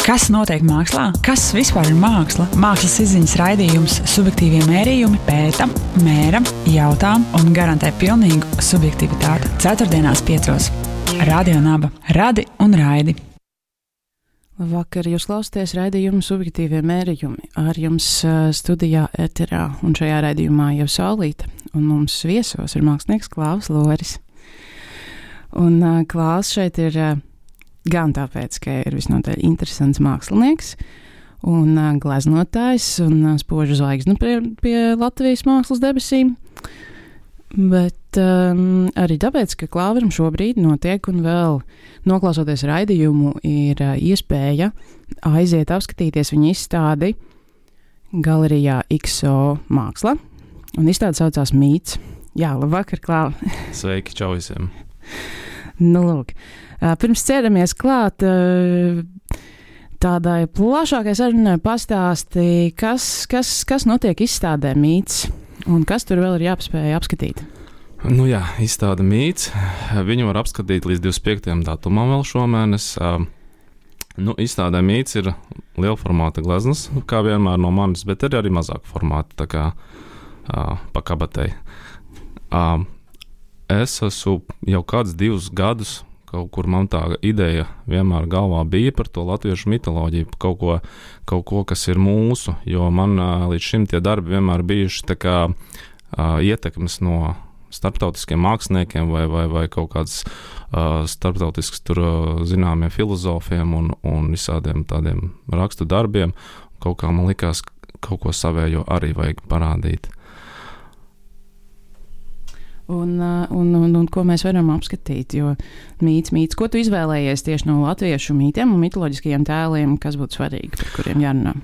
Kas notiek mākslā? Kas vispār ir māksla? Mākslas izziņas raidījums Subjektīvie mērījumi pēta, mēra, jautā un garantē pilnīgu subjektivitāti. Ceturtdienās 5. Radio Naba. Radi un raidi. Vakar jūs klausāties raidījumu Subjektīvie mērījumi. Ar jums studijā Eterā un šajā raidījumā jau Saulīte. Un mums viesos ir mākslinieks Klaus Loris. Un Klaus šeit ir gan tāpēc, ka ir visnotaļ interesants mākslinieks un gleznotājs un spožu zvaigznu pie Latvijas mākslas debesīm, bet arī tāpēc, ka Klauveram šobrīd notiek un vēl noklausoties raidījumu ir iespēja aiziet apskatīties viņa izstādi galerijā XO Māksla, un izstāde saucās Mīts. Jā, labvakar, Klau. Sveiki, čau visiem. Nu, lūk. Pirms ķeramies klāt tādai plašākai sarunai pastāstīja, kas notiek izstādē Mīts un kas tur vēl ir jāpaspēj apskatīt. Nu jā, izstāde Mīts. Viņu var apskatīt līdz 25. datumam vēl šomēnes. Izstādē Mīts ir liela formāta gleznas, kā vienmēr no manis, bet ir arī mazāka formāta, tā kā pa kabatei. Es esmu jau kāds 2 gadus kaut kur man tā ideja vienmēr galvā bija par to latviešu mitoloģiju, kaut ko, kas ir mūsu, jo man līdz šim tie darbi vienmēr bijuši tā kā ietekmes no starptautiskiem māksliniekiem vai kaut kāds starptautisks tur zināmiem filozofiem un visādiem tādiem rakstu darbiem. Kaut kā man likās, kaut ko savējo arī vajag parādīt. Un ko mēs varam apskatīt, jo mīts, ko tu izvēlējies tieši no latviešu mītiem un mitoloģiskajiem tēliem, kas būtu svarīgi, par kuriem jārunā?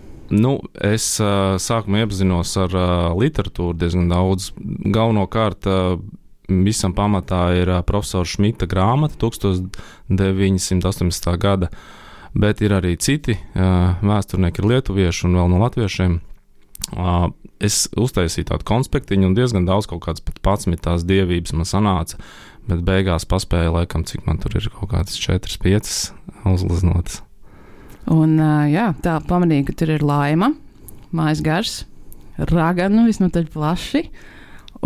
Es sākumā iepazinos ar literatūru diezgan daudz. Galvenokārt visam pamatā ir profesora Šmita grāmata 1918. gada, bet ir arī citi vēsturnieki, ir lietuvieši un vēl no latviešiem. Es uztaisīju tādu konspektiņu un diezgan daudz, kaut kādas pat 11 tās dievības man sanāca, bet beigās paspēju laikam, cik man tur ir kaut kādas 4-5 uzgleznotas. Un tā pamanīju, ka tur ir laima, mājas gars, raganu visnotaļ plaši,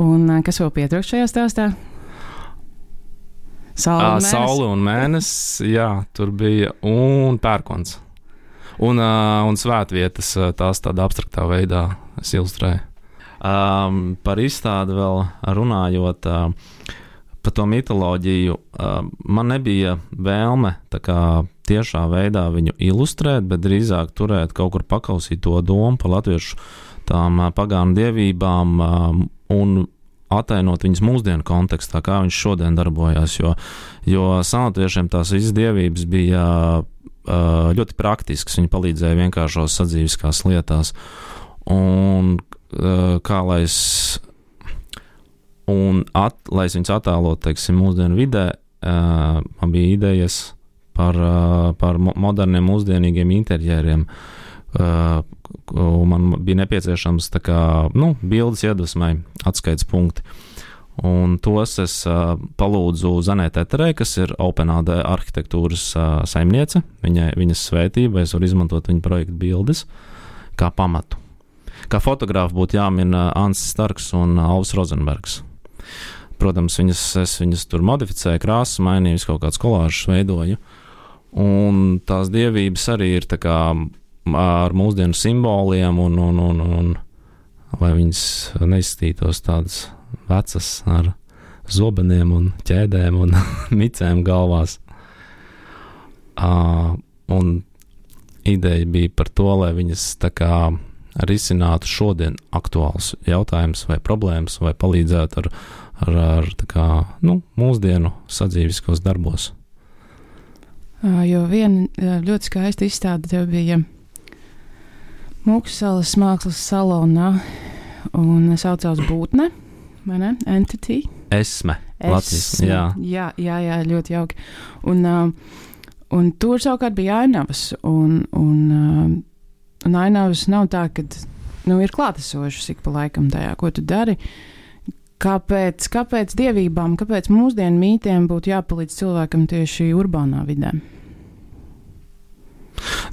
un kas vēl pietrūkst šajā stāstā? Saule un mēnesis, jā, tur bija, un pērkons. Un svētvietas, tās tādā abstraktā veidā es ilustrēju. Par izstādi vēl runājot, par to mitoloģiju, man nebija vēlme tā kā tiešā veidā viņu ilustrēt, bet drīzāk turēt kaut kur pakausīt to domu par latviešu tām pagānu dievībām un atainot viņas mūsdienu kontekstā, kā viņš šodien darbojās, jo senlatviešiem tās visas dievības bija ļoti praktisks, viņi palīdzēja vienkāršos sadzīviskās lietās, un lai es viņus attēlot, teiksim, mūsdienu vidē, man bija idejas par moderniem, mūsdienīgiem interjeriem, un man bija nepieciešams tā kā, bildes iedvesmai, atskaites punkti. Un tos es palūdzu Zanē Teterei, kas ir OpenAD arhitektūras saimniece. Viņas svētība, es varu izmantot viņa projektu bildes kā pamatu. Kā fotogrāfi būtu jāmin Ansis Starks un Alvis Rozenbergs. Protams, es viņas tur modificēju, krāsas mainīju, kaut kāds kolāžas veidoju. Un tās dievības arī ir tā kā ar mūsdienu simboliem un lai viņas neizstītos tādas vecas ar zobeniem un ķēdēm un micēm galvās. Un ideja bija par to, lai viņas tā kā risinātu šodien aktuāls jautājums vai problēmas vai palīdzētu ar tā kā, mūsdienu sadzīviskos darbos. Jo viena ļoti skaista izstāde tev bija Mūksalas mākslas salonā un saucās Būtne. Vai ne? Entity? Esme. Latvijas, jā. Jā, ļoti jauki. Un tur savukārt bija ainavas, un ainavas nav tā, ka ir klātesošas ik pa laikam tajā, ko tu dari. Kāpēc dievībām, kāpēc mūsdienu mītiem būtu jāpalīdz cilvēkam tieši urbānā vidē?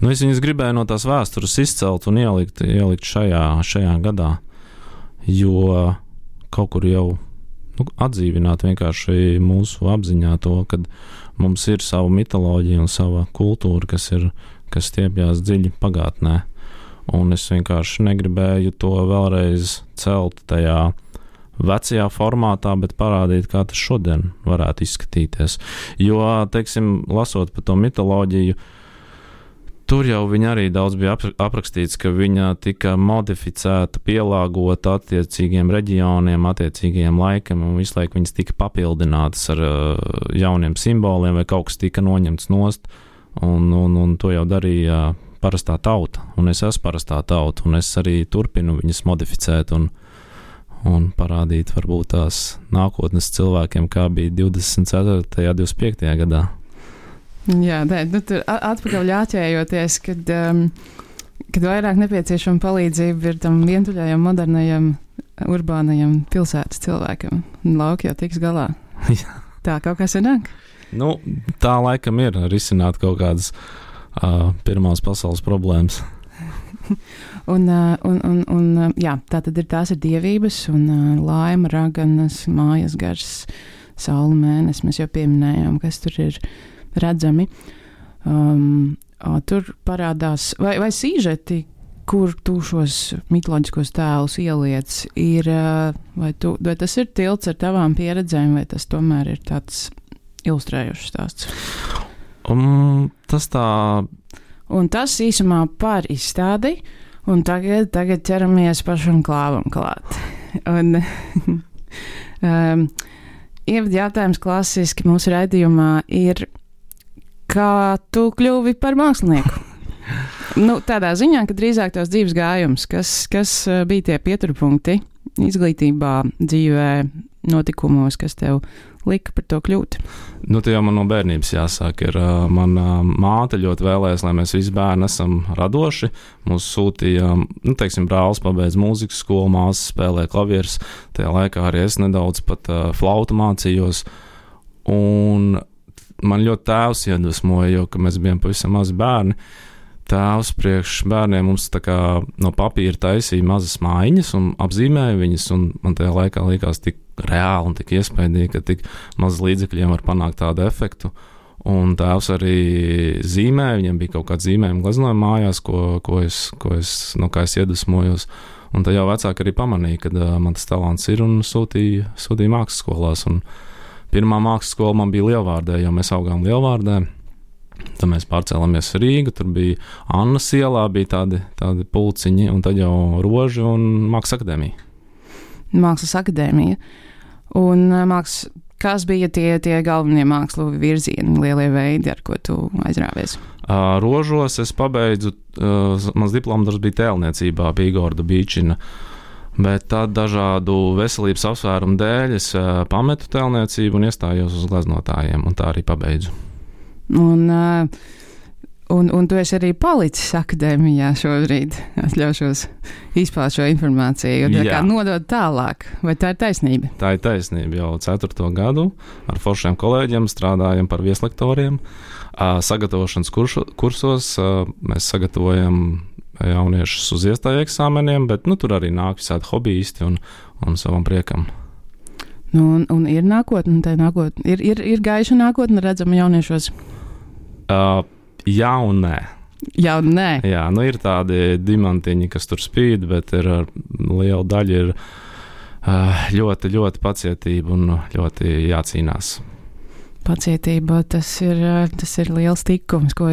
Nu, es viņus gribēju no tās vēstures izcelt un ielikt šajā gadā, jo kaut kur jau atdzīvināt vienkārši mūsu apziņā to, kad mums ir sava mitoloģija un sava kultūra, kas stiepjās dziļi pagātnē. Un es vienkārši negribēju to vēlreiz celt tajā vecajā formātā, bet parādīt, kā tas šodien varētu izskatīties. Jo, teiksim, lasot par to mitoloģiju, tur jau viņa arī daudz bija aprakstīts, ka viņa tika modificēta, pielāgota attiecīgiem reģioniem, attiecīgajiem laikam, un visu laiku viņas tika papildinātas ar jauniem simboliem, vai kaut kas tika noņemts nost, un to jau darīja parastā tauta, un es esmu parastā tauta, un es arī turpinu viņas modificēt un parādīt varbūt tās nākotnes cilvēkiem, kā bija 24. 25. gadā. Jā, tur atpakaļ jāķējoties, kad vairāk nepieciešama palīdzība ir tam vientuļajam, modernajam, urbānajam pilsētas cilvēkam. Lauki jau tiks galā. Jā. Tā kaut kas sanāk? Nu, tā laikam ir risināt kaut kādas pirmās pasaules problēmas. Jā, tā tad tās ir dievības un laima, raganas, mājas gars, saule, mēnesis. Mēs jau pieminējām, kas tur ir redzami. Tur parādās, vai sīžeti, kur tu šos mitoloģiskos tēlus ieliec, ir, vai tas ir tilts ar tavām pieredzēm, vai tas tomēr ir tāds ilustrējošs stāsts? Tas tā. Un tas īsumā par izstādi, un tagad ķeramies pašam klāvam klāt. Un ievada jautājums klasiski mūsu raidījumā ir, kā tu kļuvi par mākslinieku? Tādā ziņā, ka drīzāk tās dzīves gājums, kas bija tie pieturpunkti izglītībā, dzīvē, notikumos, kas tev lika par to kļūt? Te jau man no bērnības jāsāk. Mana māte ļoti vēlējās, lai mēs visi bērni esam radoši. Mūs sūtīja, brālis pabeidz mūzikas skolu, māsa spēlē klavierus. Tajā laikā arī es nedaudz pat flautu mācījos. Un man ļoti tēvs iedvesmoja, jo, ka mēs bijām pavisam mazi bērni. Tēvs priekš bērniem mums tā kā no papīra taisīja mazas mājiņas un apzīmēja viņas, un man tajā laikā likās tik reāli un tik iespaidīgi, ka tik maz līdzekļiem var panākt tādu efektu. Un tēvs arī zīmēja, viņam bija kaut kāds zīmējuma gleznojuma mājās, no kā es iedvesmojos. Un tad jau vecāki arī pamanīja, ka man tas talants ir, un sūtīja mākslas skolās. Un pirmā mākslas skola man bija Lielvārdē, jo mēs augām Lielvārdē. Tad mēs pārcēlāmies Rīgu, tur bija Annas ielā, bija tādi pulciņi, un tad jau Roži un Mākslas akadēmija. Mākslas akadēmija. Un kas bija tie galvenie mākslu virzieni, lielie veidi, ar ko tu aizrāvies? Rožos es pabeidzu, mans diplomdarbs bija tēlniecībā, bija Igorda Bīčina, bet tad dažādu veselības apsvērumu dēļ es pametu tēlniecību un iestājos uz gleznotājiem, un tā arī pabeidzu. Un tu esi arī palicis akadēmijā šobrīd. Atļaušos izpāst šo informāciju, kā nodot tālāk. Vai tā ir taisnība? Tā ir taisnība. Jau 4. gadu ar foršiem kolēģiem strādājam par vieslektoriem. Sagatavošanas kursos mēs sagatavojam jauniešus uz iestāju eksāmeniem, bet tur arī nāk visādi hobbyisti un savam priekam. Un ir nākotne, ir gaiša nākotne redzama jauniešos? Jā un nē. Jā un nē? Jā, ir tādi dimantiņi, kas tur spīd, bet liela daļa ir ļoti, ļoti pacietība un ļoti jācīnās. Pacietība, tas ir liels tikums, ko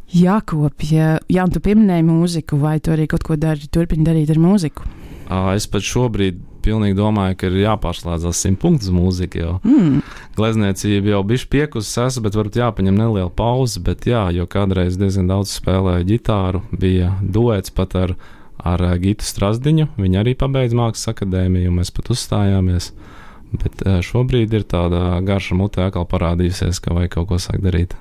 jākopja. Jā, un tu pieminēji mūziku, vai tu arī kaut ko turpini darīt ar mūziku? Es pat šobrīd pilnīgi domāju, ka ir jāpārslēdzās 100 punktus mūzika jau. Glezniecība jau bišķi piekusis, bet varbūt jāpaņem neliela pauze, bet jo kādreiz diezgan daudz spēlēju ģitāru, bija duets pat ar Gitu Strasdiņu, viņa arī pabeidz Mākslas akadēmiju, un mēs pat uzstājāmies, bet šobrīd ir tāda garša mutē atkal parādījusies, ka vajag kaut ko sākt darīt.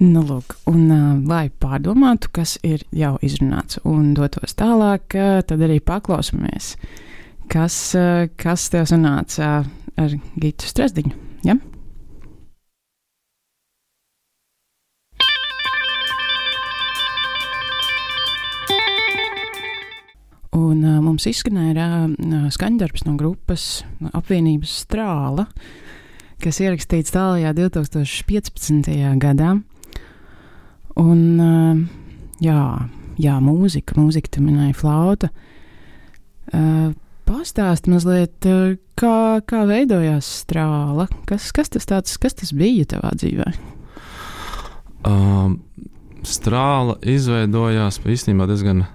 Lūk, un lai pārdomātu, kas ir jau izrunāts un dotos tālāk, tad arī paklausamies, kas tev sanāca ar Gitu Strasdiņu, ja? Un mums izskanēja skaņdarbs no grupas apvienības Strāla, kas ierakstīts tālajā 2015. gadā. Un, mūzika, tu minēji flauta. Pastāsti mazliet, kā veidojās Strāla? Kas tas bija tavā dzīvē? Strāla izveidojās īstenībā diezgan.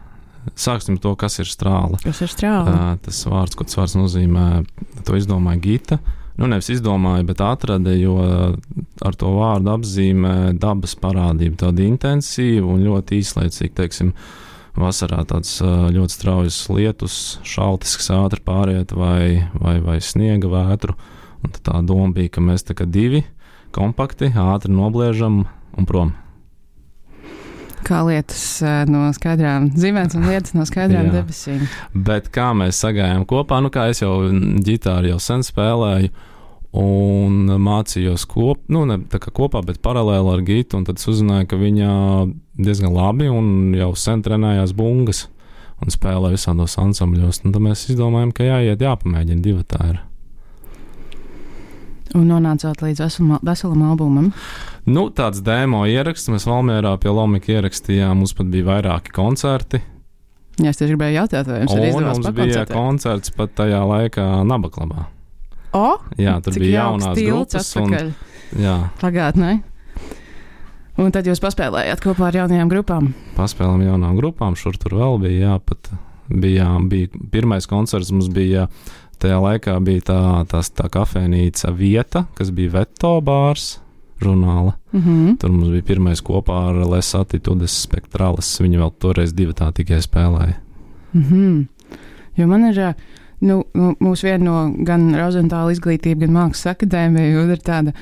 Sāksim to, kas ir strāla. Kas ir strāla? Tas vārds, ko tas vārds nozīmē, to izdomāja Gita. Nevis izdomāja, bet atrada, jo ar to vārdu apzīmē dabas parādību, tādu intensīvu un ļoti īslaicīgu, teiksim, vasarā tāds ļoti straujas lietus, šaltisks ātri pāriet vai sniega vētru. Un tā doma bija, ka mēs tā kā divi kompakti, ātri nobliežam un prom. Kā lietas no skaidrām zīmēs un lietas no skaidrām debesīm. Bet kā mēs sagājām kopā, kā es jau ģitāru jau sen spēlēju un mācījos kopā, bet paralēli ar Gitu, un tad uzzināju, ka viņa diezgan labi un jau sen trenējās bungas un spēlē visādos ansambļos. Un tad mēs izdomājām, ka jāpamēģina divatā ir. Un nonācāt līdz veselam albumam? Tāds demo ieraksts. Mēs Valmierā pie Lomika ierakstījām. Mums pat bija vairāki koncerti. Jā, es tieši gribēju jautāt, vai jums ir izdevās pakoncertēt? Un mums bija koncerts pat tajā laikā Nabaklabā. Jā, tur bija jaunās grupas. Pagātnē. Un tad jūs paspēlējāt kopā ar jaunajām grupām? Paspēlējām jaunām grupām. Šur tur vēl bija, bija pirmais koncerts mums bija. Tajā laikā bija tā kafejnīca Vieta, kas bija Veto bārs žurnāla. Tur mums bija pirmais kopā ar Les Attitudes Spectralis. Viņi vēl toreiz divatā tikai spēlēja. Jo man ir, mūsu viena no gan Rozentāla izglītība, gan Mākslas akadēmija, ir tāda,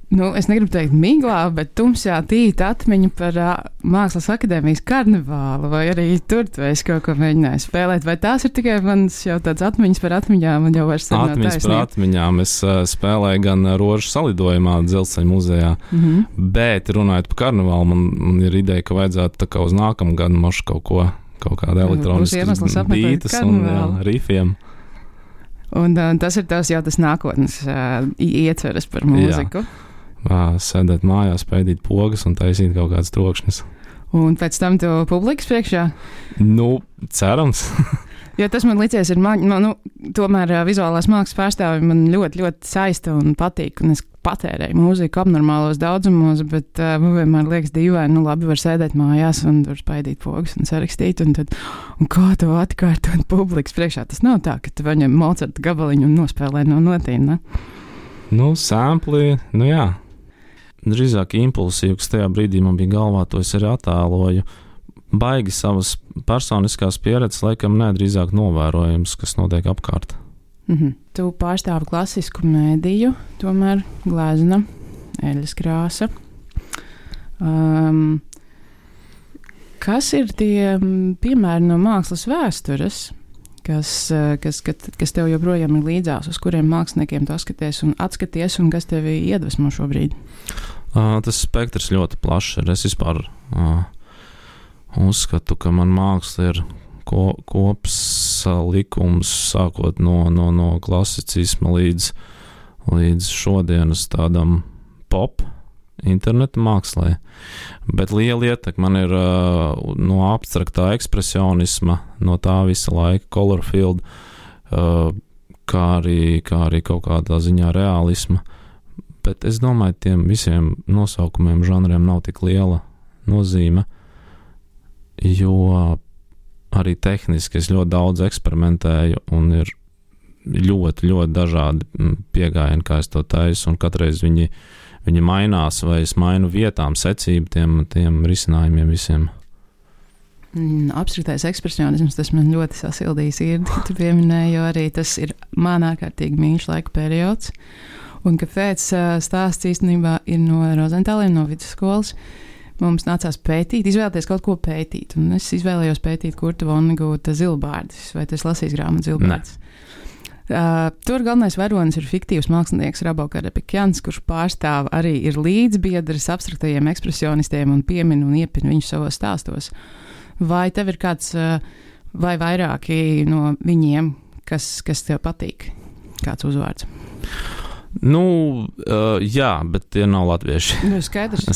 es negribu teikt miglā, bet tumsā tīta atmiņa par Mākslas akadēmijas karnevālu, vai arī tur tu esi kaut ko mēģinājis spēlēt, vai tās ir tikai manas jau tāds atmiņas par atmiņām, un jau vairs nav taisnība? Atmiņas par atmiņām. Es spēlēju gan Rožu salidojumā Dzelzceļa muzejā, bet runājot par karnevālu, man ir ideja, ka vajadzētu tā kā uz nākamu gadu mašu kaut kādu elektroniskas bītas un rifiem. Un tas ir tas nākotnes ietveres par mūziku. Sēdēt mājās, pēdīt pogas un taisīt kaut kādas trokšņas. Un pēc tam tu publikas priekšā? Cerams. Jo tas man licies ir, tomēr vizuālās mākslas pārstāvi man ļoti, ļoti saista un patīk, un es patērēju mūziku abnormālos daudzumos, bet man vienmēr liekas dīvaini, labi var sēdēt mājās un tur spaidīt pogas un sarakstīt, un kā to atkārtot publikas priekšā? Tas nav tā, ka tu paņem Mocarta gabaliņu un nospēlē no notīm, ne? Sampli, jā. Drīzāk impulsīvi, kas tajā brīdī man bija galvā, to es arī attēloju. Baigi savas personiskās pieredzes, laikam drīzāk novērojams, kas notiek apkārt. Tu pārstāvi klasisku mēdīju, tomēr glezna, eļas krāsa. Kas ir tie piemēri no mākslas vēstures, kas tev joprojām ir līdzās, uz kuriem māksliniekiem tu atskaties un kas tevi iedvesmo šobrīd? Tas spektrs ļoti plašs ir. Es vispār uzskatu, ka man māksla ir kopsalikums sākot no klasicisma līdz šodienas tādam pop interneta mākslē. Bet liela ietekme man ir no abstraktā ekspresionisma, no tā visa laika Colorfield, kā arī kaut kādā ziņā realisma. Bet es domāju, tiem visiem nosaukumiem, žanriem nav tik liela nozīme, jo arī tehniski es ļoti daudz eksperimentēju un ir ļoti, ļoti dažādi pieejami, kā es to taisu, un katreiz viņi mainās, vai es mainu vietām, secību tiem risinājumiem visiem. Abstraktais ekspresionisms, tas man ļoti sasildīja sirdi, tu pieminēji, jo arī tas ir man ārkārtīgi mīļš laika periods. Un kāpēc stāsts īstenībā ir no Rozentāliem, no vidusskolas. Mums nācās izvēlēties kaut ko pētīt, un es izvēlējos pētīt Kurta Vonnegūta Zilbārdis, vai tu esi lasījis grāmatu Zilbārdis? Tur galvenais varonis ir fiktīvs mākslinieks Rabo Karapikjans, kurš pārstāv arī ir līdzbiedrs abstraktajiem ekspresionistiem un piemin un iepin viņus savos stāstos. Vai tev ir kāds vai vairāki no viņiem, kas tev patīk? Kāds uzvārds? Jā, bet tie nav latvieši. Skaidrs.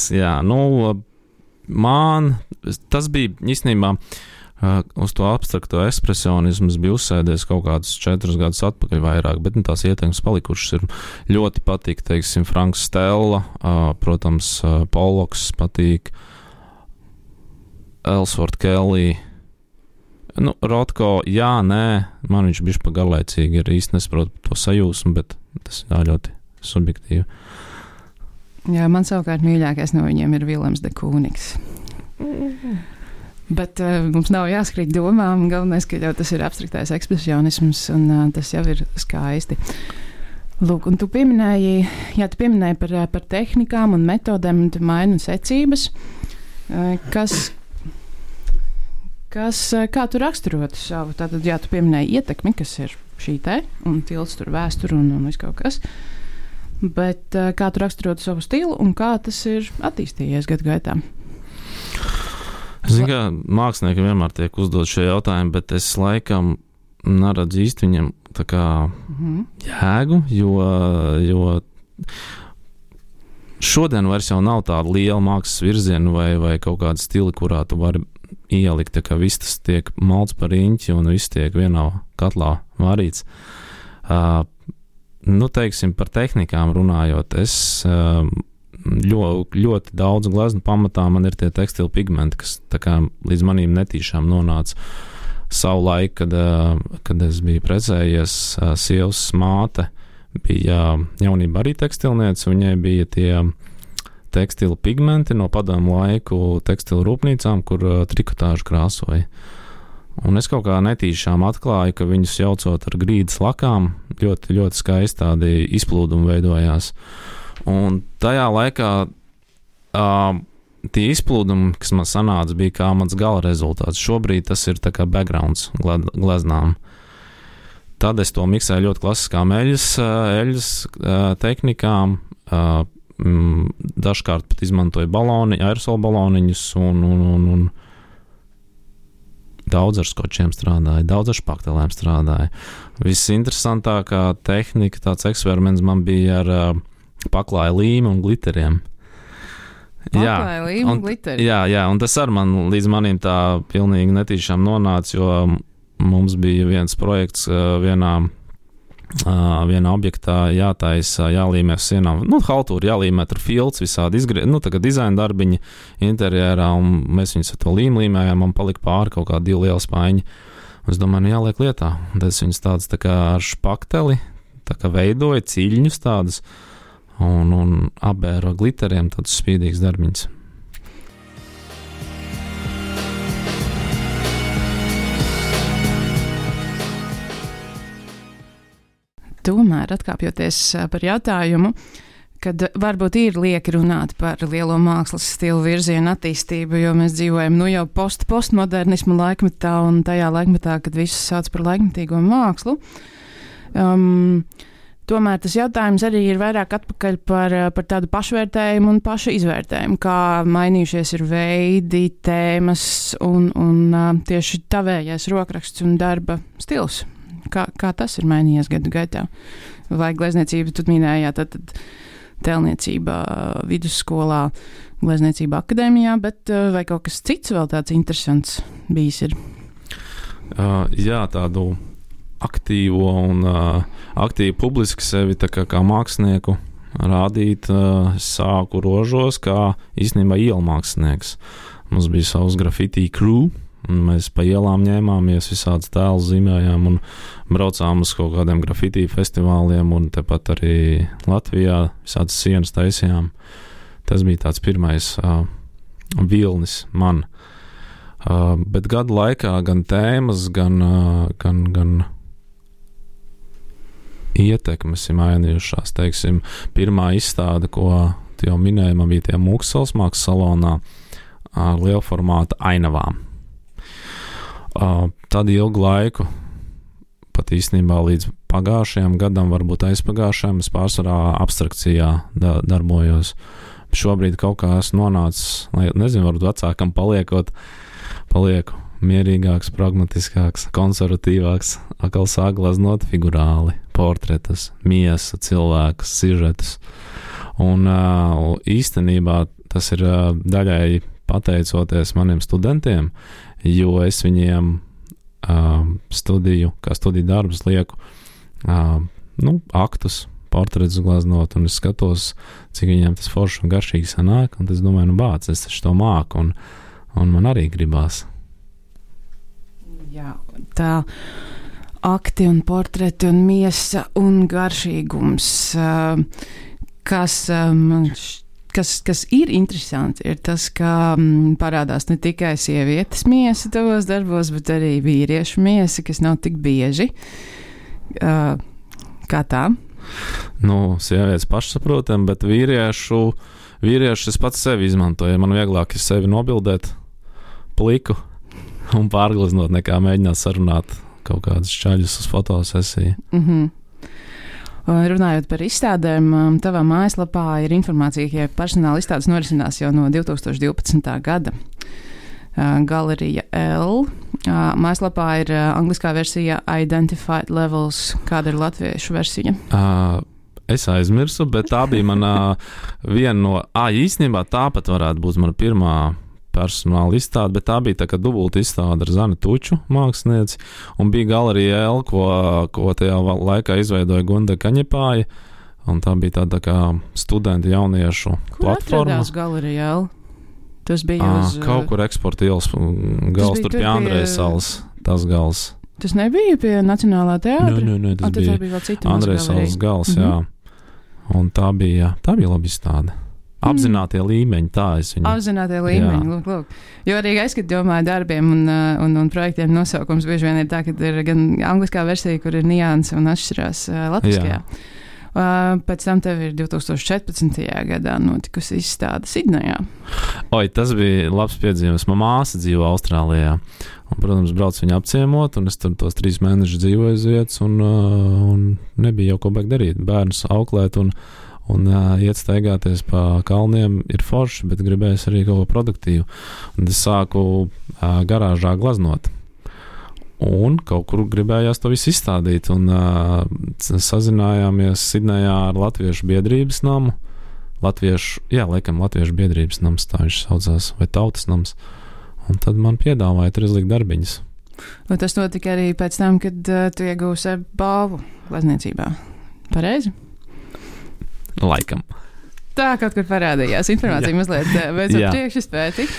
Tas bija īstenībā uz to abstrakto ekspresionismu bija uzsēdies kaut kādus 4 gadus atpakaļ vairāk, bet tās ietekmes palikušas ir ļoti patīk, teiksim, Franks Stella, protams, Pollocks patīk, Ellsworth Kelly, Rothko, man viņš bišķi pa garlaicīgi ir, īsti nesaprotu to sajūsmu, bet tas ir ļoti subjektīvi. Jā, man savukārt mīļākais no viņiem ir Vilems de Kūnigs. Bet mums nav jāskrīt domām, galvenais, ka jau tas ir abstraktais ekspresionisms, un tas jau ir skaisti. Lūk, un tu pieminēji par tehnikām un metodēm, un tu maini secības. Kā tu raksturotu savu, tātad, tu pieminēji ietekmi, kas ir šī te, un tilts tur vēsturu un viss kaut kas, bet kā tu raksturotu savu stilu, un kā tas ir attīstījies gadu gaitā? Zinu, kā mākslinieki vienmēr tiek uzdot šie jautājumi, bet es laikam neredzu īsti viņam tā kā jēgu, jo šodien vairs jau nav tāda liela mākslas virziena vai kaut kāda stila, kurā tu vari ielikt, tā kā viss tas tiek malts par riņķi un viss tiek vienā katlā varīts. Teiksim, par tehnikām runājot, es ļoti daudz gleznu pamatā man ir tie tekstila pigmenti, kas tā kā līdz manīm netīšām nonāca savu laiku, kad es biju precējies, sievas māte bija jaunībā arī tekstilniece, viņai bija tie tekstila pigmenti no padomu laiku tekstila rūpnīcām, kur trikotāžu krāsoja. Un es kaut kā netīšām atklāju, ka viņus jaucot ar grīdas lakām, ļoti, ļoti skaisti tādi izplūdumi veidojās. Un tajā laikā tie izplūdumi, kas man sanāca, bija kā mans gala rezultāts. Šobrīd tas ir tā kā backgrounds gleznām. Tad es to miksēju ļoti klasiskām eļļas tehnikām, dažkārt pat izmantoju aerosola baloniņus un daudz ar skočiem strādāju, daudz ar špaktelēm strādāju. Visinteresantākā tehnika, tāds eksperiments man bija ar paklāja līmu un gliteriem. Paklāja līmu un gliteri? Jā, un tas ar man līdz manīm tā pilnīgi netīšām nonāca, jo mums bija viens projekts vienā objektā jātaisa, jālīmē sienām, haltūri jālīmē ar filts, visādi tagad dizaina darbiņi interjerā, un mēs viņus ar to līmējām, un palika pāri kaut kā 2 liela spaiņi. Es domāju, jāliek lietā. Tad es viņus tādus tā kā ar špakteli, tā kā veidoju ciļņus tādus, un apbēro gliteriem tādus spīdīgus darbiņus. Tomēr, atkāpjoties par jautājumu, kad varbūt ir lieki runāt par lielo mākslas stilu virzienu attīstību, jo mēs dzīvojam jau postmodernismu laikmetā un tajā laikmetā, kad visus sauc par laikmetīgo mākslu. Tomēr tas jautājums arī ir vairāk atpakaļ par tādu pašvērtējumu un pašu izvērtējumu, kā mainījušies ir veidi, tēmas un tieši tavējais rokraksts un darba stils. Kā tas ir mainījies gadu gaitā? Vai glezniecība, tu minēji, tad tēlniecība vidusskolā, glezniecība akadēmijā, bet vai kaut kas cits vēl tāds interesants bijis ir? Jā, tādu aktīvo un aktīvi publiski sevi tā kā mākslinieku rādīt sāku Rožos kā īstenībā ielu mākslinieks. Mums bija savs graffiti crew, un mēs pa ielām ņēmāmies, visādas tēlus zīmējām un braucām uz kaut kādiem graffiti festivāliem, un tepat arī Latvijā visādas sienas taisījām. Tas bija tāds pirmais vilnis man. Bet gadu laikā gan tēmas, gan ietekmes ir mainījušās. Teiksim, pirmā izstāde, ko tu jau minēji, man bija tie Mūksels mākslas salonā ar lielformāta ainavām. Tad ilgu laiku, pat īstenībā līdz pagājušajam gadam, varbūt aizpagājušajam, es pārsvarā abstrakcijā darbojos. Šobrīd kaut kā esmu nonācis, nezinu, varbūt vecākam palieku, mierīgāks, pragmatiskāks, konservatīvāks, atkal sāk glaznot figurāli, portretus, miesa, cilvēkus, sižetus. Un īstenībā tas ir daļai pateicoties maniem studentiem, jo es viņiem studiju darbus lieku aktus, portretus glaznot, un es skatos, cik viņiem tas forši un garšīgi sanāk, un es domāju, es taču to māku, un man arī gribās. Jā, tā akti un portreti un miesa un garšīgums, kas ir interesanti, ir tas, ka parādās ne tikai sievietes miesa tavos darbos, bet arī vīriešu miesa, kas nav tik bieži. Kā tā? Sievietes pašsaprotam, bet vīriešu es pats sevi izmantoju. Man vieglāk ir sevi nobildēt pliku un pārgleznot, nekā mēģināt sarunāt kaut kādus čaļus uz fotosesiju. Runājot par izstādēm, tavā mājaslapā ir informācija, ka personāla izstādes norisinās jau no 2012. gada. Galerija L. Mājaslapā ir angliskā versija Identified Levels. Kāda ir latviešu versija? Es aizmirsu, bet tā bija mana viena no... īstenībā tāpat varētu būt mana pirmā personāla izstāde, bet tā bija tā kā dubulta izstāde ar Zani Tuču mākslinieci, un bija Galerija L, ko tajā laikā izveidoja Gunda Kaņepāja, un tā bija tāda kā studenti jauniešu platforma. Kur atradās Galerija L? Tas bija uz... Kaut kur eksporta ielas gals, tur pie Andrejas salas, tas gals. Tas nebija pie Nacionālā teātra? Nē, tas bija Andrejas salas gals, jā. Un tā bija labi izstāde. Apzinātie līmeņi, tā es viņu... Apzinātie līmeņi, lūk. Jo arī es, kad domāju darbiem un projektiem nosaukums, bieži vien ir tā, ka ir gan angliskā versija, kur ir nianses un atšķirās latviskajā. Pēc tam tev ir 2014. gadā notikusi izstāde Sidnejā. Tas bija labs piedzīvums. Man māsa dzīvo Austrālijā. Un, protams, brauc viņu apciemot, un es tur tos 3 mēnešus dzīvoju uz vietas, un nebija jau ko baigt darīt. Bērnus auklēt un iet staigāties pa kalniem ir forši, bet gribējis arī kaut ko produktīvu. Un es sāku garāžā glaznot. Un kaut kur gribējās to visu izstādīt, un sazinājāmies Sidnejā ar Latviešu biedrības namu. Latviešu biedrības nams, tā viņš saucās, vai Tautas nams. Un tad man piedāvāja tur izlikt darbiņas. Un tas notika arī pēc tam, kad tu iegūsi balvu glezniecībā. Pareizi? Laikam. Tā kaut kur parādījās informācija mazliet beidzot priekšspēti.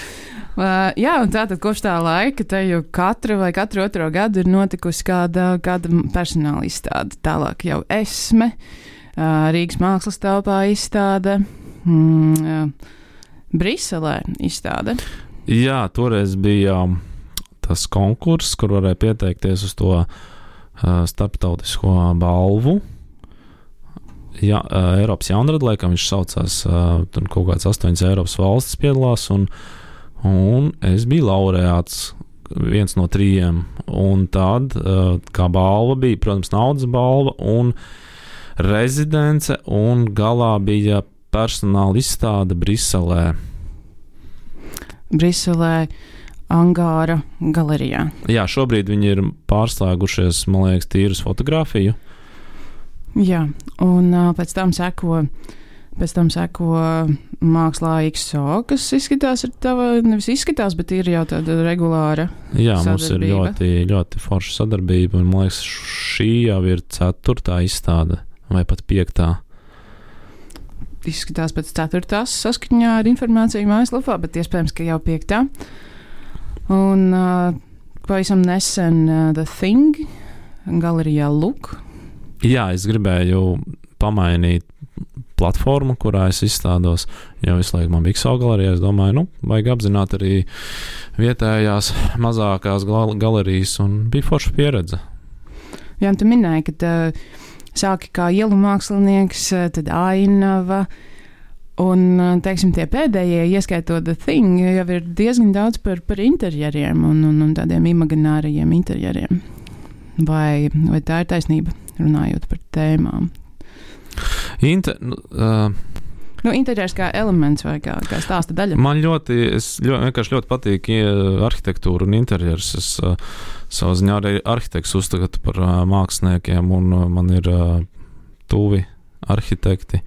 Jā, un tātad kopš tā laika te jau katru otro gadu ir notikusi kāda personāla izstāde. Tālāk jau Esme, Rīgas mākslas telpā izstāde, Briselē izstāde. Jā, toreiz bija tas konkurss, kur varēja pieteikties uz to starptautisko balvu. Jā, Eiropas jaunrada, laikam viņš saucās, tur kaut kāds 8 Eiropas valstis piedalās, un es biju laureāts, viens no 3, un tad, kā balva bija, protams, naudas balva un rezidence, un galā bija personāla izstāde Briselē. Briselē, Angāra galerijā. Jā, šobrīd viņi ir pārslēgušies, man liekas, tīru uz fotografiju. Jā, un pēc tam seko mākslā XO, kas izskatās, nevis izskatās, bet ir jau tāda regulāra sadarbība. Jā, mums ir ļoti, ļoti forša sadarbība, un man liekas, šī jau ir 4. izstāde, vai pat 5. Izskatās pēc 4. saskaņā ar informāciju mājaslapā, bet iespējams, ka jau 5. Un pavisam nesen The Thing, galerijā Look. Jā, es gribēju pamainīt platformu, kurā es izstādos, jo visu laiku man bija XO galerijā. Es domāju, vajag apzināt arī vietējās mazākās galerijas, un bija forša pieredze. Jā, un tu minēji, ka sāki kā ielu mākslinieks, tad ainava, un, teiksim, tie pēdējie, ieskaitot The Thing, jau ir diezgan daudz par interjeriem un tādiem imaginārajiem interjeriem. Vai tā ir taisnība, runājot par tēmām? Interjers kā elements vai kā stāsta daļa? Man vienkārši ļoti patīk arhitektūra un interjers. Es savā ziņā arī arhitekts uzskatu par māksliniekiem, un man ir tuvi arhitekti,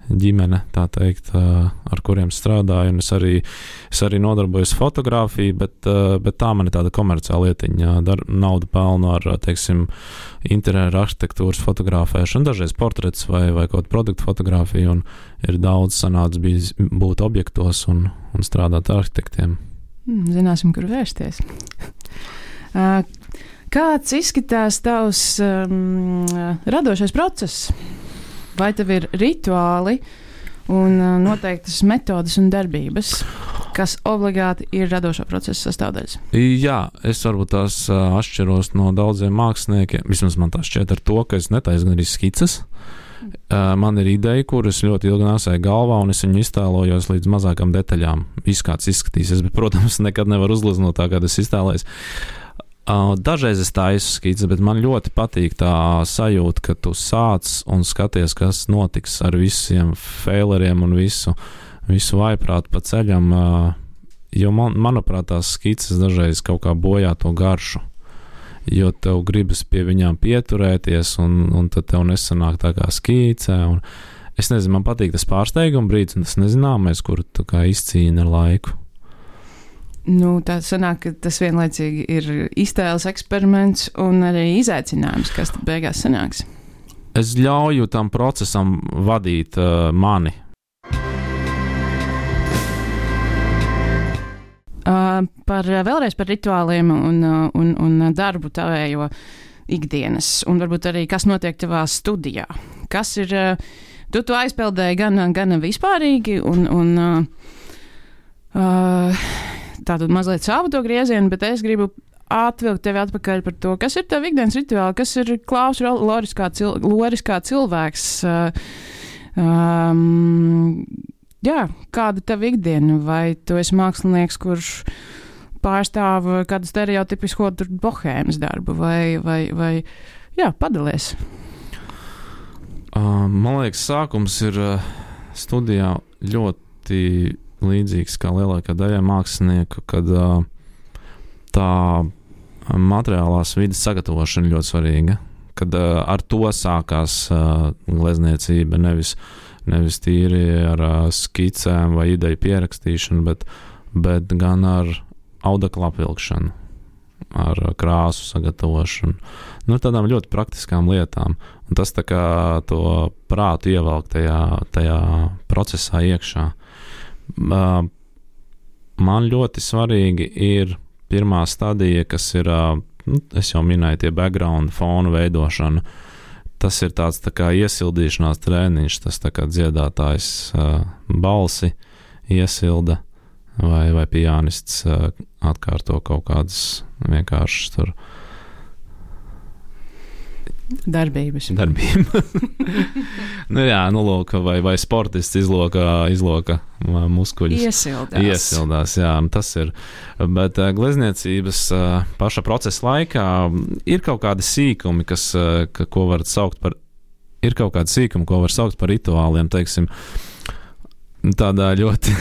ģimene, tā teikt, ar kuriem strādāju, un es arī nodarbojos fotografiju, bet tā man ir tāda komerciāla lietiņa, naudu pelnu ar, teiksim, interjera arhitektūras fotografēšanu, dažreiz portrets vai kaut produktu fotografiju, un ir daudz sanācis bijis būt objektos un strādāt ar arhitektiem. Zināsim, kur vērsties. Kāds izskatās tavs radošais process? Vai tev ir rituāli un noteiktas metodas un darbības, kas obligāti ir radošā procesa sastāvdaļas? Jā, es varbūt tās atšķiros no daudziem māksliniekiem. Vismaz man tā šķiet ar to, ka es netaisu gan arī skices. Man ir ideja, kuras ļoti ilgi nesēju galvā, un es viņu iztēlojos līdz mazākām detaļām. Viss kāds izskatīsies, bet, protams, nekad nevar uzgleznot tā, kā es iztēlējos. Dažreiz es taisu skices, bet man ļoti patīk tā sajūta, ka tu sāc un skaties, kas notiks ar visiem faileriem un visu vaiprātu pa ceļam, jo manuprāt tās skices dažreiz kaut kā bojā to garšu, jo tev gribas pie viņām pieturēties, un tad tev nesanāk tā kā skicē, un es nezinu, man patīk tas pārsteiguma brīdis, un tas nezināmais, kur tu kā izcīni ar laiku. Tā sanāk, ka tas vienlaicīgi ir iztēles eksperiments un arī izaicinājums, kas tad beigās sanāks. Es ļauju tam procesam vadīt mani. Vēlreiz par rituāliem un darbu tavējo ikdienas, un varbūt arī, kas notiek tavā studijā. Kas ir, tu aizpeldēji gan vispārīgi, un tātad mazliet savu to griezienu, bet es gribu atvilkt tevi atpakaļ par to, kas ir tev ikdienas rituāli, kas ir Klaus Loris kā cilvēks. Kāda tev ikdiena? Vai tu esi mākslinieks, kurš pārstāv kādu stereotipisko bohēmas darbu, vai padalies? Man liekas, sākums ir studijā ļoti līdzīgs kā lielākā daļa mākslinieku, kad tā materiālās vidas sagatavošana ļoti svarīga, kad ar to sākās glezniecība, nevis tīri ar skicēm vai ideju pierakstīšanu, bet gan ar audekla apvilkšanu, ar krāsu sagatavošanu, tādām ļoti praktiskām lietām, un tas tā kā to prātu ievelk tajā procesā iekšā. Man ļoti svarīgi ir pirmā stadija, kas ir, es jau minēju, tie background fonu veidošana. Tas ir tāds tā kā iesildīšanās treniņš, tas tā kā dziedātājs balsi iesilda vai pianists atkārto kaut kādas vienkāršas tur darbības. Lūk, vai sportists izloka muskuļus. Iesildās, jā, tas ir. Bet glezniecības paša procesa laikā ir kaut kādi sīkumi, ko var saukt par, rituāliem, teiksim. Tādā ļoti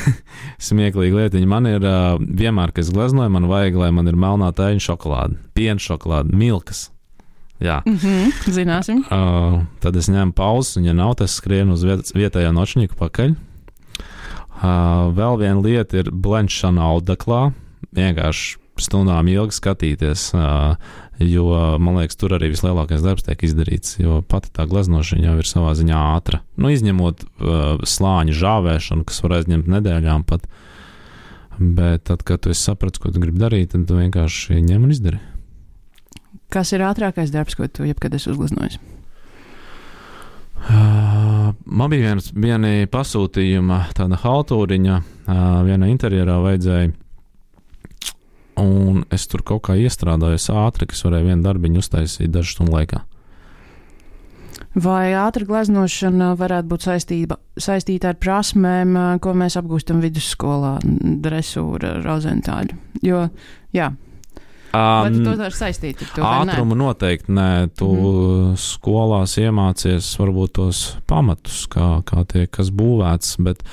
smieklīga lietiņa. Man ir vienmēr, kad es gleznoju, man vajag, lai man ir melnā tēņa šokolāde, piena šokolāde, milkas. Jā. Zināsim. Tad es ņemu pauzes, un ja nav, tas skrienu uz vietējā nočņiku pakaļ. Vēl viena lieta ir blenšana audeklā, vienkārši stundām ilgi skatīties, jo, man liekas, tur arī vislielākais darbs tiek izdarīts, jo pati tā gleznošana jau ir savā ziņā ātra. Izņemot slāņu žāvēšanu, kas var aizņemt nedēļām pat, bet tad, kad tu saprati, ko tu gribi darīt, tad tu vienkārši ņem un izdari. Kas ir ātrākais darbs, ko tu jebkad esi uzgleznojis? Man bija viena pasūtījuma, tāda haltūriņa, viena interjerā vajadzēja, un es tur kaut kā iestrādājos ātri, kas varēja vienu darbiņu uztaisīt dažu stundu laikā. Vai ātra gleznošana varētu būt saistīta ar prasmēm, ko mēs apgūstam vidusskolā, dresūra, rozentāļu? Jo, jā. Vai tu to var saistīt ar to? Ātrumu noteikti nē. Tu skolās iemācies varbūt tos pamatus, kā tiek kas būvēts, bet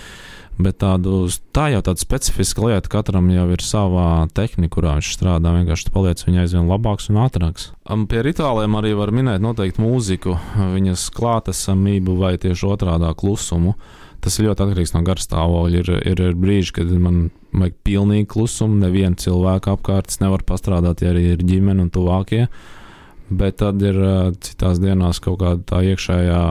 tā jau tāda specifiska lieta, katram jau ir savā tehnika, kurā viņš strādā, vienkārši tu paliec viņa aizvien labāks un ātrāks. Pie rituāliem arī var minēt noteikti mūziku, viņas klātesamību vai tieši otrādā klusumu. Tas ir ļoti atkarīgs no garstāvokļa. Ir brīži, kad man vajag pilnīgi klusumu, nevienu cilvēku apkārt, es nevaru pastrādāt, ja arī ir ģimene un tuvākie. Bet tad ir citās dienās kaut kāda tā iekšējā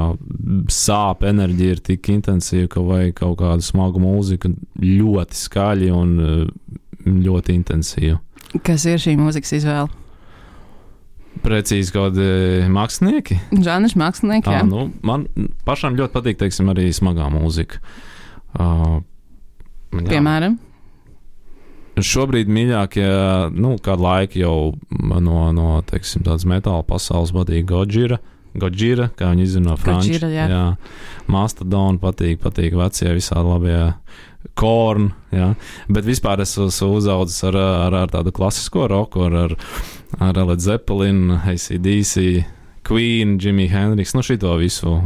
sāpe, enerģija ir tik intensīva, ka vajag kaut kādu smagu mūziku ļoti skaļi un ļoti intensīvu. Kas ir šī mūzikas izvēle? Precīzi kaut kādi mākslinieki? Žanrs mākslinieki, jā. Man pašam ļoti patīk, teiksim, arī smagā mūzika. Piemēram? Šobrīd mīļākie, kādu laiku jau no teiksim, tādas metāla pasaules patīk Gojira, kā viņi izzina no franču. Jā. Mastodon patīk vecie visādi labie Korn, jā. Bet vispār es esmu uzaudzis ar tādu klasisko roku, ar Led Zeppelin, AC/DC, Queen, Jimi Hendrix, šito visu.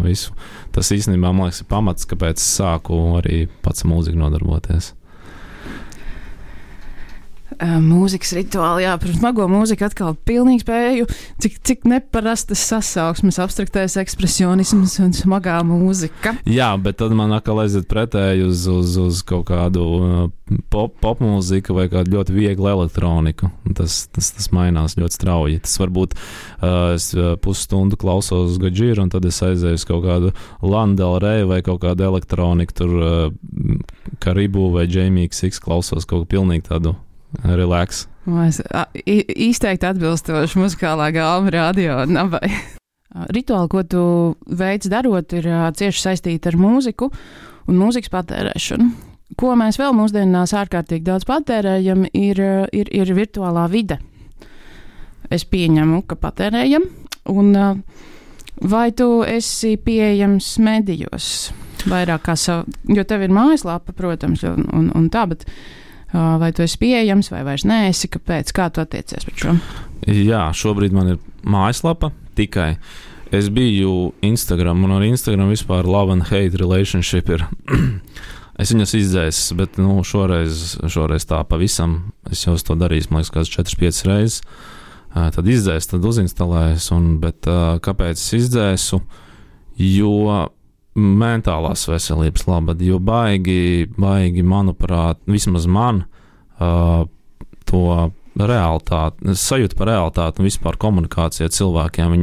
Tas īstenībā, man liekas, ir pamats, kāpēc es sāku arī pats mūziku nodarboties. Mūzikas rituāli, jā, par smago mūziku atkal pilnīgi spēju, cik neparastas sasauksmes, abstraktais ekspresionisms un smagā mūzika. Jā, bet tad man atkal aiziet pretēji uz kaut kādu pop mūziku vai kādu ļoti vieglu elektroniku. Tas mainās ļoti strauji. Tas varbūt es pusstundu klausos Gojira un tad es aizēju uz kaut kādu Lana Del Rey vai kaut kādu elektroniku, tur Karibu vai Jamie XX klausos kaut ko pilnīgi tādu relax. Izteikti atbilstoši muzikālā galva radio nabai. Rituāli, ko tu veic darot, ir cieši saistīti ar mūziku un mūzikas patērēšanu. Ko mēs vēl mūsdienās ārkārtīgi daudz patērējam, ir virtuālā vide. Es pieņemu, ka patērējam, un vai tu esi pieejams medijos vairāk kā savu, jo tev ir mājaslapa, protams, un tā, bet vai tu esi pieejams, vai vairs neesi, kāpēc, kā tu attiecies pret šo? Jā, šobrīd man ir mājaslapa tikai. Es biju Instagram, un ar Instagram vispār love and hate relationship ir. Es viņas izdzēsu, bet šoreiz tā pavisam. Es jau to darīju, man liekas, kāds 4-5 reizes. Tad izdzēsu, tad uzinstalēju, bet kāpēc es izdzēsu? Jo mentālās veselības labad, jo baigi, manuprāt, vismaz man to realitāti, sajūta par realitāti un vispār komunikācija ar cilvēkiem,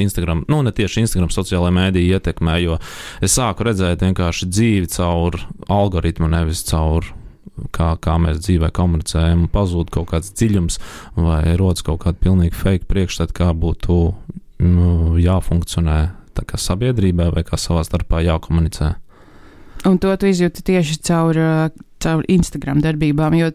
Instagram, ne tieši Instagram sociālajā mēdī ietekmē, jo es sāku redzēt vienkārši dzīvi caur algoritmu, nevis caur kā mēs dzīvē komunicējam, un pazūd kaut kāds dziļums vai rodas kaut kāda pilnīgi fake priekšstat, kā būtu jāfunkcionē tā kā sabiedrībā vai kā savā starpā jākomunicē. Un to tu izjūti tieši caur Instagram darbībām, jo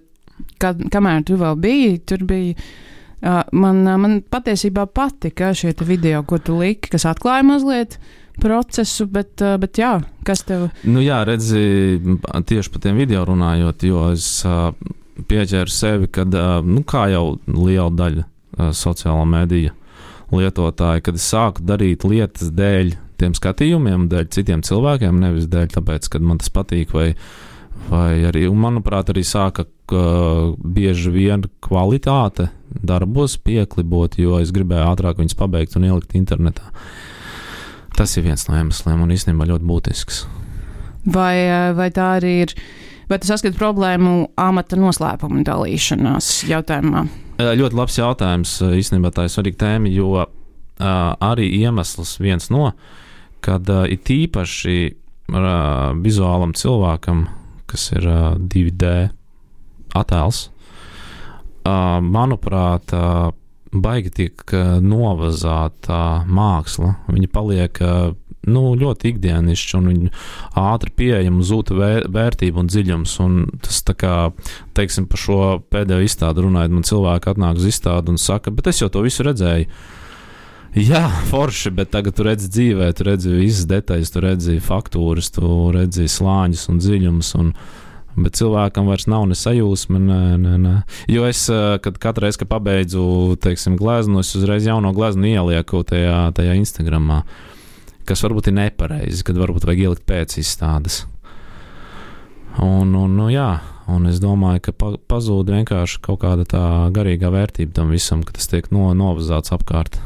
kamēr tu vēl biji, tur bija man patiesībā patika šie video, ko tu liki, kas atklāja mazliet procesu, bet jā, kas tev? Jā, redzi, tieši par tiem video runājot, jo es pieķēru sevi, kad, kā jau liela daļa sociālā medija lietotāji, kad es sāku darīt lietas dēļ tiem skatījumiem, dēļ citiem cilvēkiem, nevis dēļ tāpēc, kad man tas patīk, vai arī, un manuprāt, arī sāka bieži vien kvalitāte darbos pieklibot, jo es gribēju ātrāk viņus pabeigt un ielikt internetā. Tas ir viens no iemesliem un īstenībā ļoti būtisks. Vai tā arī ir, vai tu saskati problēmu amata noslēpuma dalīšanās jautājumā? Ļoti labs jautājums, īstenībā tā ir svarīga tēma, jo arī iemesls viens no, kad ir tīpaši vizuālam cilvēkam, kas ir 2D attēls, manuprāt, baigi tiek novazāta māksla. Viņa paliek ļoti ikdienišķi un viņa ātri pieejama, zūta vērtība un dziļums. Un tas tā kā, teiksim, par šo pēdējo izstādi runājot, man cilvēki atnāk uz izstādi un saka, bet es jau to visu redzēju. Jā, forši, bet tagad tu redzi dzīvē, tu redzi visas detaļas, tu redzi faktūras, tu redzi slāņus un dziļumus, Bet cilvēkam vairs nav ne sajūsma, ne. Jo es, kad katru reizi, kad pabeidzu, teiksim, gleznu, es uzreiz jauno gleznu ielieku tajā Instagramā, kas varbūt ir nepareizi, kad varbūt vajag ielikt pēc izstādes. Un es domāju, ka pazūd vienkārši kaut kāda tā garīgā vērtība tam visam, ka tas tiek novazāts apkārt.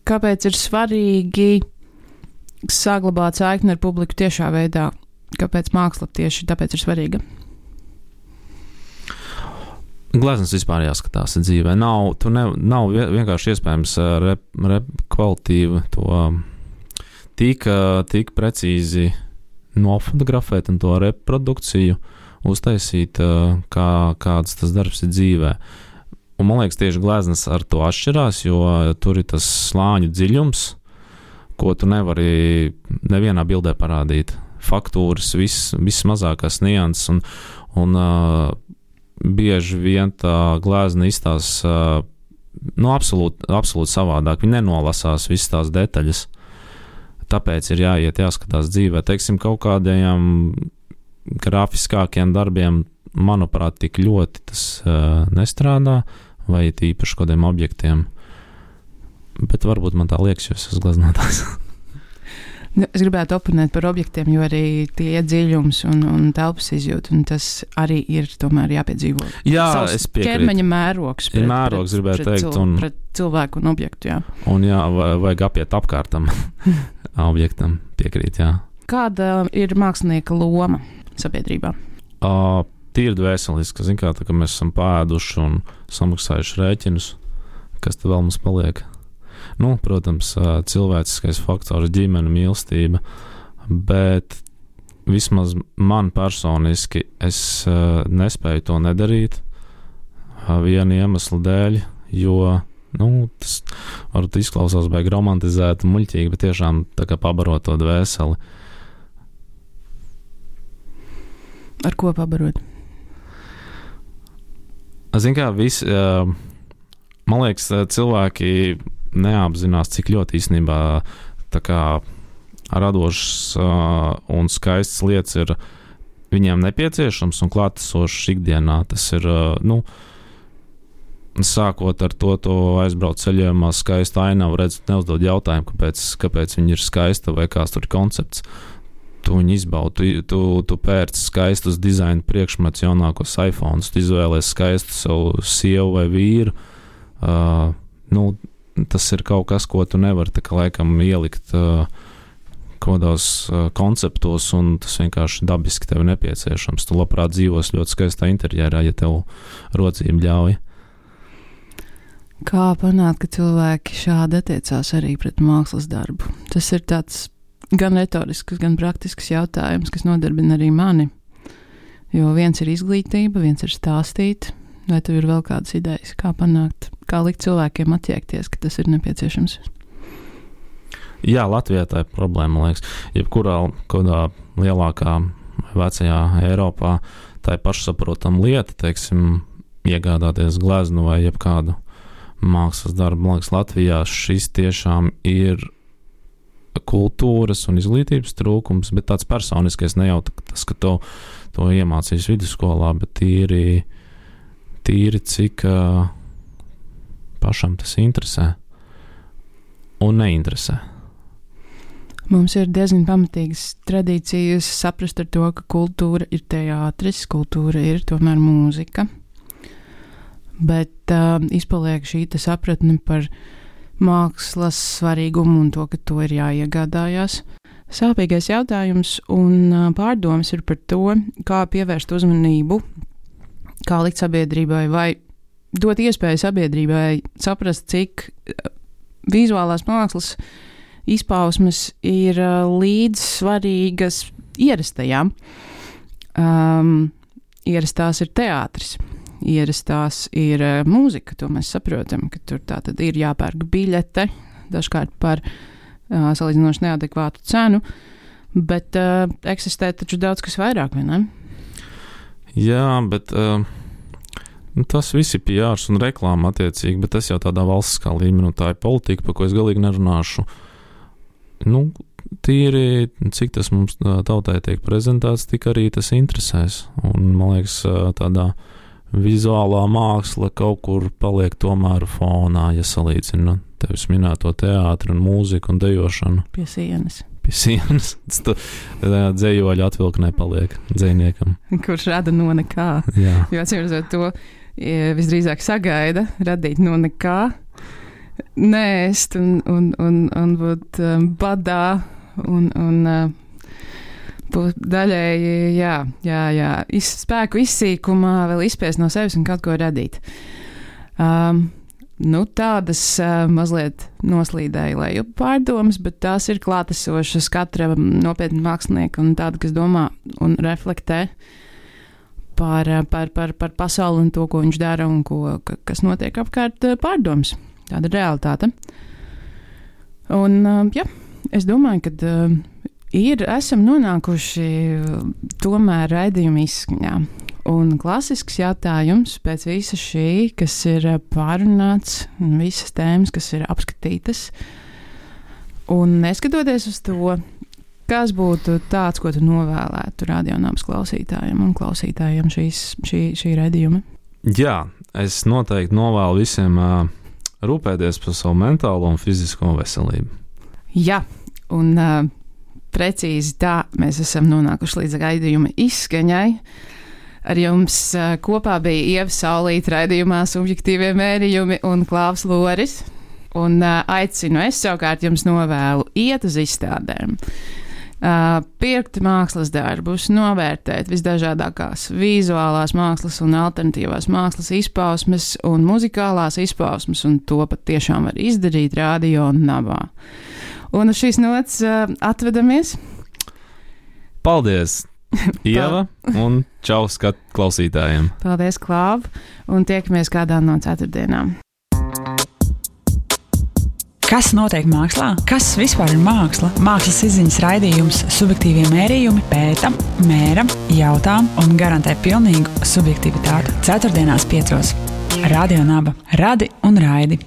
Kāpēc ir svarīgi saglabāt saikni ar publiku tiešā veidā? Kāpēc māksla tieši tāpēc ir svarīga? Gleznas vispār jāskatās dzīvē. Nav vienkārši iespējams kvalitatīvi to tik precīzi nofotografēt un to reprodukciju uztaisīt, kāds tas darbs ir dzīvē. Un man liekas, tieši gleznas ar to atšķirās, jo tur ir tas slāņu dziļums, ko tu nevari nevienā bildē parādīt. Faktūras, viss mazākās nianses, un bieži vien tā glezna izstāsta absolūti savādāk. Viņi nenolasās visas tās detaļas. Tāpēc ir jāskatās dzīvē. Teiksim, kaut kādiem grafiskākiem darbiem, manuprāt, tik ļoti tas nestrādā, vai tīpaši kādiem objektiem. Bet varbūt man tā liekas, jo es esmu gleznotājs. Es gribētu oponēt par objektiem, jo arī tie ir dziļums un telpas izjūta, un tas arī ir tomēr jāpiedzīvo. Jā, savs es piekrītu. Ķermeņa mērogs pret cilvēku un objektu, jā. Un vajag apiet apkārtam objektam, piekrīt, jā. Kāda ir mākslinieka loma sabiedrībā? Tīri dvēseliski, zin kā, ka mēs esam pāēduši un samaksājuši rēķinus, kas tad vēl mums paliek? Protams, cilvēciskais faktors, ģimene, mīlestība, bet vismaz man personiski es nespēju to nedarīt viena iemesla dēļ, jo tas varbūt izklausās baigi romantizēti, muļķīgi, bet tiešām tā kā pabarot to dvēseli. Ar ko pabarot? Zin kā, man liekas, cilvēki neapzinās, cik ļoti īstenībā tā kā radošas un skaistas lietas ir viņiem nepieciešams un klātesošas ikdienā. Tas ir, sākot ar to aizbraukt ceļojumā skaistu ainavu, neuzdod jautājumu, kāpēc viņa ir skaista vai kāds tur ir koncepts. Tu viņu izbaudi, tu pērci skaistus dizaina priekšmets, jaunākos iPhones, tu izvēlies skaistu savu sievu vai vīru. Tas ir kaut kas, ko tu nevari tā kā laikam ielikt kādos konceptos, un tas vienkārši dabiski tev nepieciešams. Tu labprāt dzīvos ļoti skaistā interjerā, ja tev rocība ļauj. Kā panākt, ka cilvēki šādi attiecās arī pret mākslas darbu? Tas ir tāds gan retorisks, gan praktisks jautājums, kas nodarbina arī mani. Jo viens ir izglītība, viens ir stāstīt. Vai tev ir vēl kādas idejas, kā panākt, kā likt cilvēkiem attiekties, ka tas ir nepieciešams? Jā, Latvijā tā ir problēma, man liekas. Jebkurā kādā lielākā vecajā Eiropā tā ir pašsaprotama lieta, teiksim, iegādāties gleznu vai jebkādu mākslas darbu. Man liekas, Latvijā šis tiešām ir kultūras un izglītības trūkums, bet tāds personiskais, ne jau tas, ka to iemācīs vidusskolā, bet tīri cik pašam tas interesē un neinteresē. Mums ir diezgan pamatīgas tradīcijas saprast ar to, ka kultūra ir teātris, kultūra ir tomēr mūzika, bet izpaliek šī sapratne par mākslas svarīgumu un to, ka to ir jāiegādājās. Sāpīgais jautājums un pārdomas ir par to, kā pievērst uzmanību, kā likt sabiedrībai vai dot iespēju sabiedrībai saprast, cik vizuālās mākslas izpausmes ir līdzsvarīgas ierastajām. Ierastās ir teātris, ierastās ir mūzika, to mēs saprotam, ka tur tā tad ir jāpērk biļete, dažkārt par salīdzinoši neadekvātu cenu, bet eksistē taču daudz kas vairāk, vai ne? Jā, bet tas viss ir PRs un reklāma attiecīgi, bet tas jau tādā valstiskā līmenī, tā ir politika, par ko es galīgi nerunāšu. tīri, cik tas mums tautai tiek prezentēts, tik arī tas interesēs. Un, man liekas, tādā vizuālā māksla kaut kur paliek tomēr fonā, ja salīdzina tevis minēto teātri un mūziku un dejošanu. Pie sienas. Dzējoļu atvilknē paliek dzējniekam. Kurš rada no nekā. Jā. Jo atcīmredzot to visdrīzāk sagaida radīt no nekā, nēst un būt badā un būt daļēji, spēku izsīkumā vēl izspiest no sevis un kaut ko radīt. Tādas mazliet noslīdēja lejup pārdomas, bet tās ir klātesošas katra nopietna mākslinieka un tāda, kas domā un reflektē par pasauli un to, ko viņš dara un kas notiek apkārt pārdomas. Tāda ir realitāte. Un, es domāju, ka esam nonākuši tomēr raidījuma izskaņā. Un klasisks jautājums pēc visa šī, kas ir pārunāts, un visas tēmas, kas ir apskatītas. Un neskatoties uz to, kas būtu tāds, ko tu novēlētu radionāmas klausītājiem un klausītājiem šī raidījuma? Jā, es noteikti novēlu visiem rūpēties par savu mentālo un fizisko veselību. Jā, un precīzi tā mēs esam nonākuši līdz raidījuma izskaņai. Ar jums kopā bija Ieva Saulīte raidījumā Subjektīvie mērījumi un Klaus Loris. Un aicinu es savukārt jums novēlu iet uz izstādēm, pirkt mākslas darbus, novērtēt visdažādākās vizuālās mākslas un alternatīvās mākslas izpausmes un muzikālās izpausmes, un to pat tiešām var izdarīt Radio Nabā. Un uz šīs nots atvedamies. Paldies! Ieva un čau klausītājiem. Paldies, Klāv, un tiekamies kādā no ceturtdienām. Kas notiek mākslā? Kas vispār ir māksla? Mākslas izziņas raidījums Subjektīvie mērījumi pēta, mēra, jautā un garantē pilnīgu subjektivitāti. Ceturtdienās 5. Radio Naba. Radi un raidi.